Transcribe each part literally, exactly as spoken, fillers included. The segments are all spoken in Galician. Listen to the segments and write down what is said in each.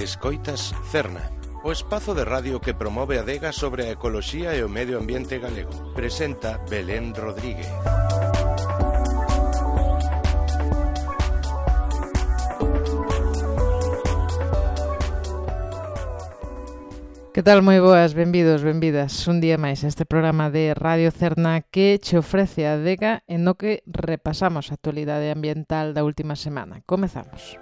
Escoitas Cerna, o espazo de radio que promove a adega sobre a ecoloxía e o medio ambiente galego. Presenta Belén Rodríguez. Que tal? Moi boas, benvidos, benvidas un día máis a este programa de Radio Cerna que che ofrece a adega en no que repasamos a actualidade ambiental da última semana. Comezamos.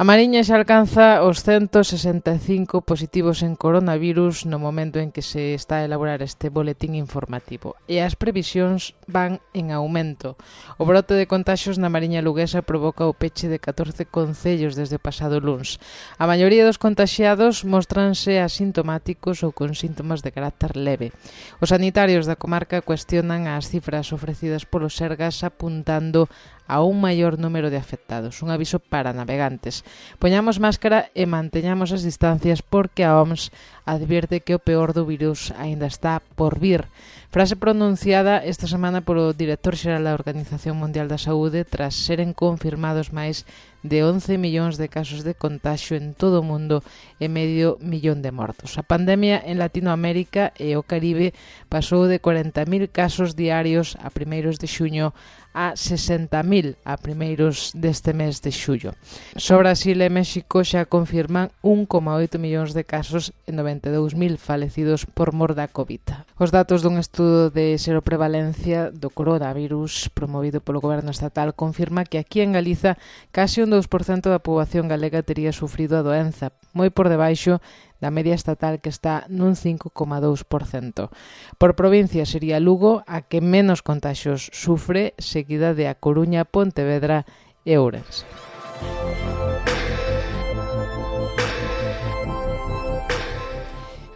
A Mariña xa alcanza os ciento sesenta e cinco positivos en coronavirus no momento en que se está a elaborar este boletín informativo e as previsións van en aumento. O brote de contaxios na Mariña luguesa provoca o peche de catorce concellos desde o pasado luns. A maioría dos contaxiados mostranse asintomáticos ou con síntomas de carácter leve. Os sanitarios da comarca cuestionan as cifras ofrecidas polos Sergas apuntando a un maior número de afectados. Un aviso para navegantes. Poñamos máscara e manteñamos as distancias porque a O M S advierte que o peor do virus aínda está por vir. Frase pronunciada esta semana polo director xeral da Organización Mundial da Saúde tras seren confirmados máis de once millóns de casos de contagio en todo o mundo e medio millón de mortos. A pandemia en Latinoamérica e o Caribe pasou de corenta mil casos diarios a primeiros de xuño a sesenta mil a primeiros deste mes de xullo. Só Brasil e México xa confirman un coma oito millóns de casos e noventa e dous mil falecidos por mor da COVID. Os datos dun estudo de seroprevalencia do coronavirus promovido polo goberno estatal confirma que aquí en Galiza case un dous por cento da poboación galega tería sufrido a doenza, moi por debaixo da media estatal que está nun cinco coma dous por cento. Por provincia sería Lugo a que menos contaxios sufre, seguida de A Coruña, Pontevedra e Ourense.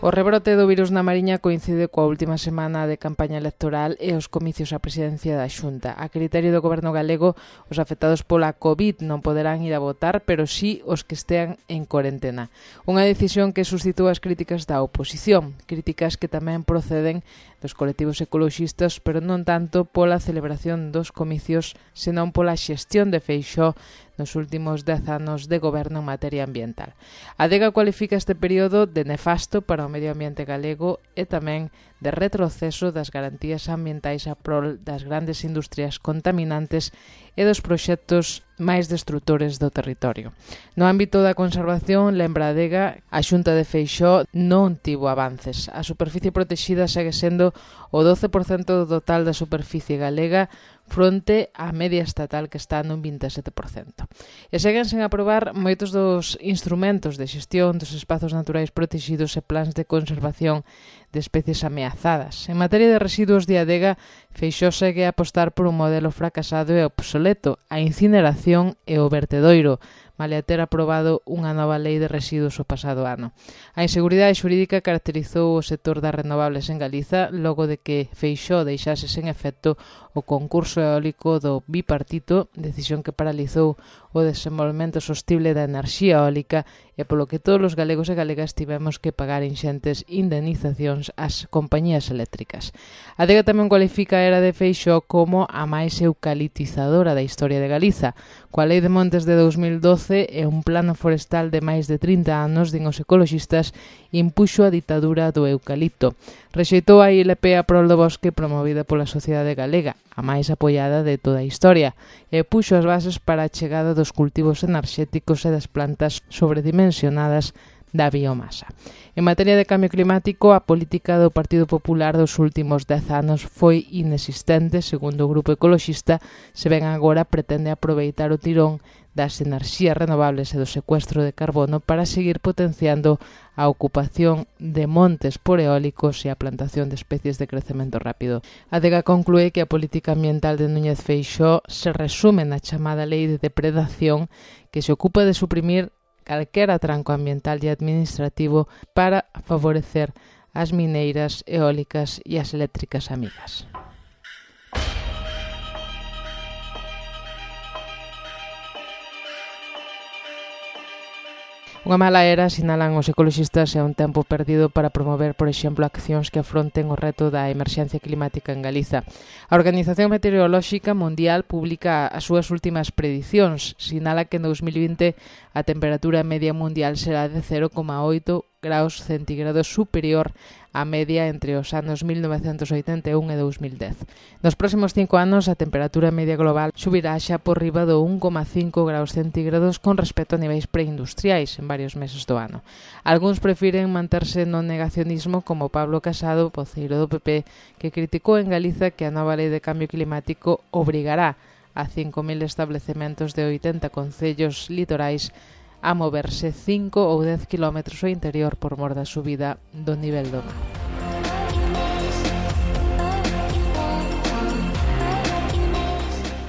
O rebrote do virus na Mariña coincide coa última semana de campaña electoral e os comicios á presidencia da Xunta. A criterio do goberno galego, os afectados pola COVID non poderán ir a votar, pero sí os que estean en corentena. Unha decisión que suscitou as críticas da oposición, críticas que tamén proceden dos colectivos ecoloxistas, pero non tanto pola celebración dos comicios, senón pola xestión de Feixóo nos últimos dez anos de goberno en materia ambiental. A adega cualifica este período de nefasto para o medio ambiente galego e tamén de retroceso das garantías ambientais a prol das grandes industrias contaminantes e dos proxectos máis destrutores do territorio. No ámbito da conservación, lembra a adega, a Xunta de Feixóo non tivo avances. A superficie protexida segue sendo o doce por cento do total da superficie galega fronte á media estatal que está nun vinte e sete por cento. E seguen sen aprobar moitos dos instrumentos de xestión dos espazos naturais protegidos e plans de conservación de especies ameazadas. En materia de residuos de adega, Feixóo segue a apostar por un modelo fracasado e obsoleto, a incineración e o vertedoiro, malia ter aprobado unha nova lei de residuos o pasado ano. A inseguridade xurídica caracterizou o sector das renovables en Galiza logo de que Feixóo deixase sen efecto o concurso eólico do bipartito, decisión que paralizou o desenvolvemento sostible da enerxía eólica e polo que todos os galegos e galegas tivemos que pagar inxentes indemnizacións ás compañías eléctricas. A adega tamén cualifica a era de Feixóo como a máis eucalitizadora da historia de Galiza. Coa Lei de Montes de dous mil doce e un plano forestal de máis de trinta anos, din os ecoloxistas, impuxo a ditadura do eucalipto. Rexeitou a I L P a prol do bosque promovida pola sociedade galega, a máis apoiada de toda a historia, e puxo as bases para a chegada dos cultivos enerxéticos e das plantas sobredimensionadas da biomasa. En materia de cambio climático, a política do Partido Popular dos últimos dez anos foi inexistente, segundo o grupo ecoloxista, se ben agora pretende aproveitar o tirón das enerxías renovables e do secuestro de carbono para seguir potenciando a ocupación de montes por eólicos e a plantación de especies de crecemento rápido. A adega conclúe que a política ambiental de Núñez Feixóo se resume na chamada lei de depredación que se ocupa de suprimir calquera tranco ambiental e administrativo para favorecer as mineiras, eólicas e as eléctricas amigas. Unha mala era, sinalan os ecoloxistas, é un tempo perdido para promover, por exemplo, accións que afronten o reto da emerxencia climática en Galiza. A Organización Meteorolóxica Mundial publica as súas últimas predicións. Sinala que en dos mil vinte a temperatura media mundial será de cero coma oito graus centígrados superior á media entre os anos mil novecentos oitenta e un e dous mil dez. Nos próximos cinco anos a temperatura media global subirá xa por riba do un coma cinco graus centígrados con respecto a niveis preindustriais en varios meses do ano. Algúns prefiren manterse no negacionismo, como Pablo Casado, voceiro do P P, que criticou en Galiza que a nova lei de cambio climático obrigará a cinco mil establecementos de oitenta concellos litorais a moverse cinco ou dez kilómetros ao interior por mor da subida do nivel do mar.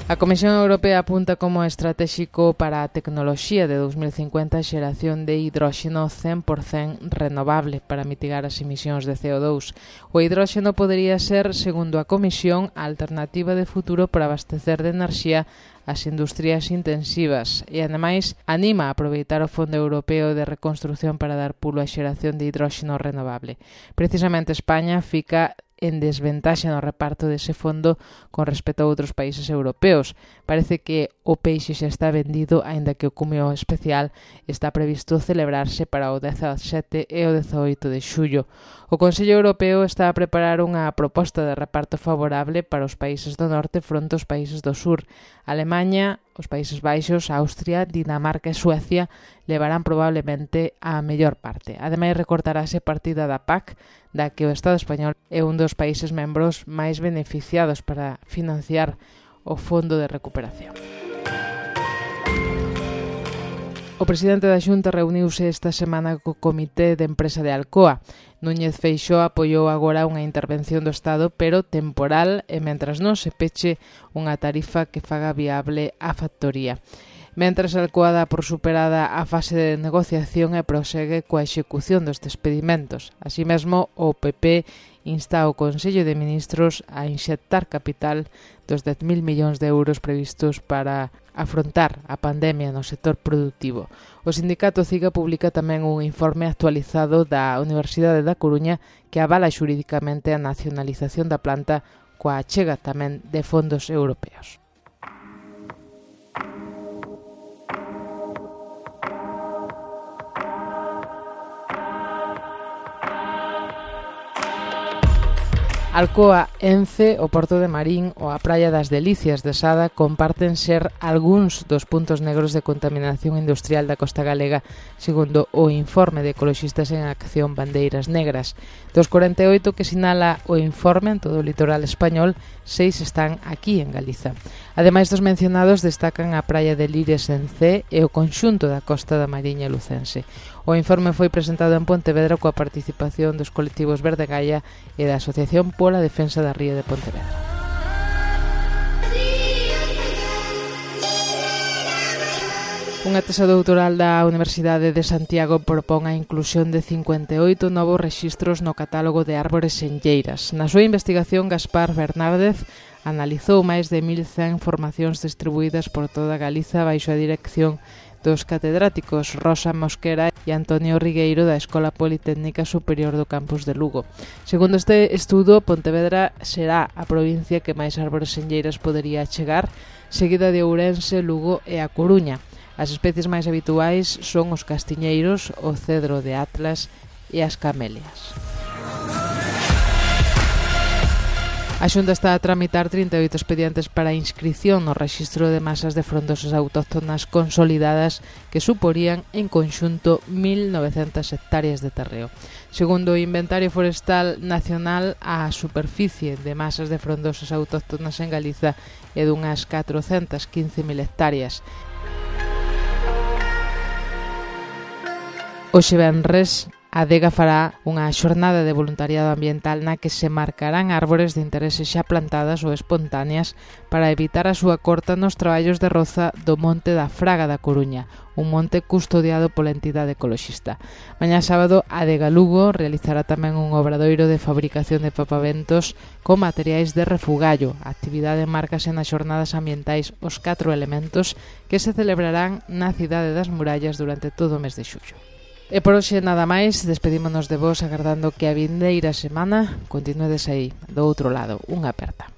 A Comisión Europea apunta como estratéxico para a tecnoloxía de dos mil cincuenta a xeración de hidróxeno cen por cento renovable para mitigar as emisións de C O dous. O hidróxeno podería ser, segundo a Comisión, a alternativa de futuro para abastecer de enerxía as industrias intensivas e, ademais, anima a aproveitar o Fondo Europeo de Reconstrucción para dar pulo á xeración de hidróxeno renovable. Precisamente España fica en desventaxa no reparto dese fondo con respecto a outros países europeos. Parece que o peixe xa está vendido, aínda que o cumio especial está previsto celebrarse para o dezasete e o dezaoito de xullo. O Consello Europeo está a preparar unha proposta de reparto favorable para os países do norte fronte aos países do sur. Alemaña, os Países Baixos, Austria, Dinamarca e Suecia levarán probablemente a mellor parte. Ademais, recortarase partida da P A C, da que o Estado español é un dos países membros máis beneficiados para financiar o Fondo de Recuperación. O presidente da Xunta reuniuse esta semana co Comité de Empresa de Alcoa. Núñez Feixóo apoiou agora unha intervención do Estado, pero temporal, e mentras non se peche unha tarifa que faga viable a factoría. Mentras Alcoa dá por superada a fase de negociación e prosegue coa execución dos despedimentos. Así mesmo, o P P insta ao Consello de Ministros a inxectar capital dos dez mil millóns de euros previstos para afrontar a pandemia no sector productivo. O sindicato CIGA publica tamén un informe actualizado da Universidade da Coruña que avala xurídicamente a nacionalización da planta coa achega tamén de fondos europeos. Alcoa, Ence, o Porto de Marín ou a Praia das Delicias de Sada comparten ser algúns dos puntos negros de contaminación industrial da costa galega, segundo o informe de Ecoloxistas en Acción Bandeiras Negras. Dos corenta e oito que sinala o informe en todo o litoral español, seis están aquí en Galiza. Ademais dos mencionados, destacan a Praia de Lires en Cee e o conxunto da costa da Mariña lucense. O informe foi presentado en Pontevedra coa participación dos colectivos Verde Gaia e da Asociación pola Defensa da Ría de Pontevedra. Unha tesa doutoral da Universidade de Santiago propón a inclusión de cincuenta e oito novos rexistros no catálogo de árbores senlleiras. Na súa investigación, Gaspar Bernárdez analizou máis de mil cen formacións distribuídas por toda Galiza baixo a dirección dos catedráticos Rosa Mosquera e Antonio Rigueiro da Escola Politécnica Superior do Campus de Lugo. Segundo este estudo, Pontevedra será a provincia que máis árbores senlleiras podería chegar, seguida de Ourense, Lugo e a Coruña. As especies máis habituais son os castiñeiros, o cedro de Atlas e as camelias. A Xunta está a tramitar trinta e oito expedientes para a inscrición no rexistro de masas de frondosas autóctonas consolidadas que suporían en conxunto mil novecentas hectáreas de terreo. Segundo o Inventario Forestal Nacional, a superficie de masas de frondosas autóctonas en Galiza é dunhas catrocentas quince mil hectáreas. Hoxe venres, a Adega fará unha xornada de voluntariado ambiental na que se marcarán árbores de interese xa plantadas ou espontáneas para evitar a súa corta nos traballos de roza do Monte da Fraga da Coruña, un monte custodiado pola entidade ecoloxista. Mañá sábado, a Adega Lugo realizará tamén un obradoiro de fabricación de papaventos con materiais de refugallo. A actividade márcase nas xornadas ambientais Os Catro Elementos que se celebrarán na Cidade das Murallas durante todo o mes de xullo. E por hoxe nada máis, despedímonos de vos agardando que a vindeira semana continuedes aí, do outro lado, unha aperta.